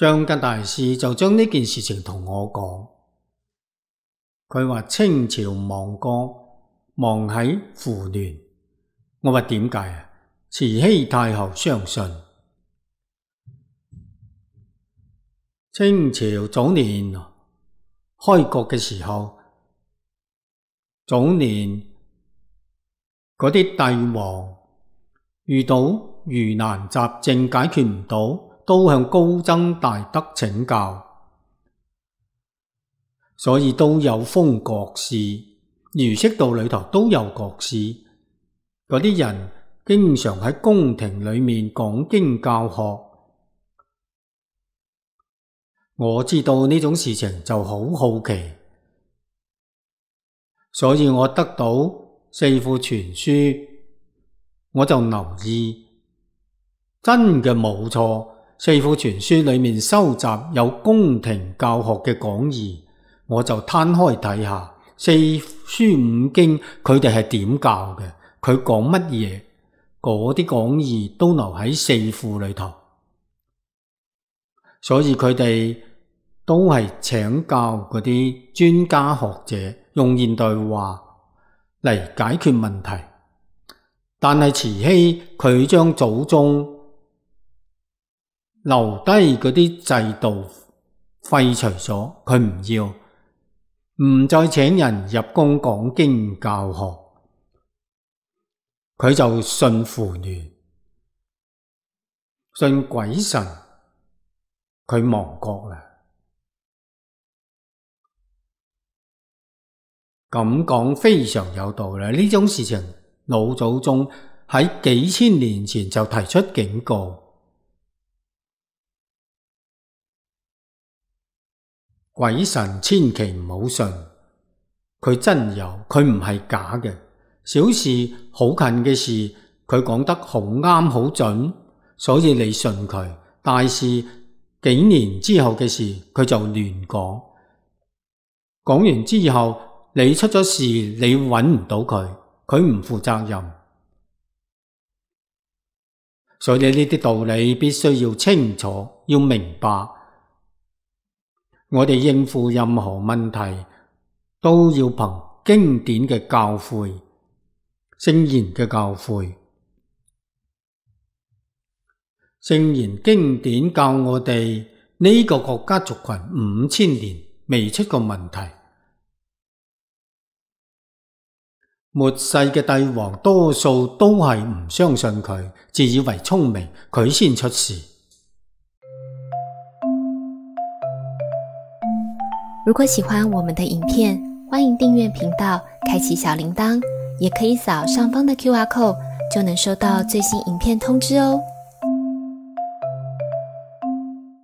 張吉大師就將呢件事情同我講，佢話清朝亡國亡喺胡亂。我話點解啊？慈禧太后相信清朝早年開國嘅時候，早年嗰啲帝王遇到疑難雜症解決唔到，都向高僧大德請教，所以都有封國士，儒釋道裏頭都有國士。嗰啲人經常喺宮廷裏面講經教學。我知道呢種事情就好好奇，所以我得到四庫全書，我就留意，真嘅冇錯，四庫全書裏面收集有宮廷教學嘅講義，我就攤開睇下四書五經佢哋係點教嘅，佢講乜嘢，嗰啲講義都留喺四庫裏頭，所以佢哋都係請教嗰啲專家學者，用現代話嚟解決問題。但係慈禧佢將祖宗留低嗰啲制度廢除咗，佢唔要，唔再請人入宮講經教學，佢就信胡亂，信鬼神，佢亡國啦。咁講非常有道理，呢種事情老祖宗喺幾千年前就提出警告，鬼神千祈唔好信，佢真有，佢唔係假嘅。小事好近嘅事，佢講得好啱好準，所以你信佢。大事幾年之後嘅事，佢就亂講，講完之後你出咗事，你揾唔到佢，佢唔負責任。所以呢啲道理必須要清楚，要明白。我哋應付任何問題都要憑經典嘅教誨，聖賢嘅教誨。聖賢經典教我哋呢個國家族群5000年未出過問題。末世嘅帝王多數都係唔相信佢，自以為聰明，佢先出事。如果喜歡我們的影片，歡迎訂閱頻道，開啟小鈴鐺，也可以掃上方的QR code，就能收到最新影片通知哦。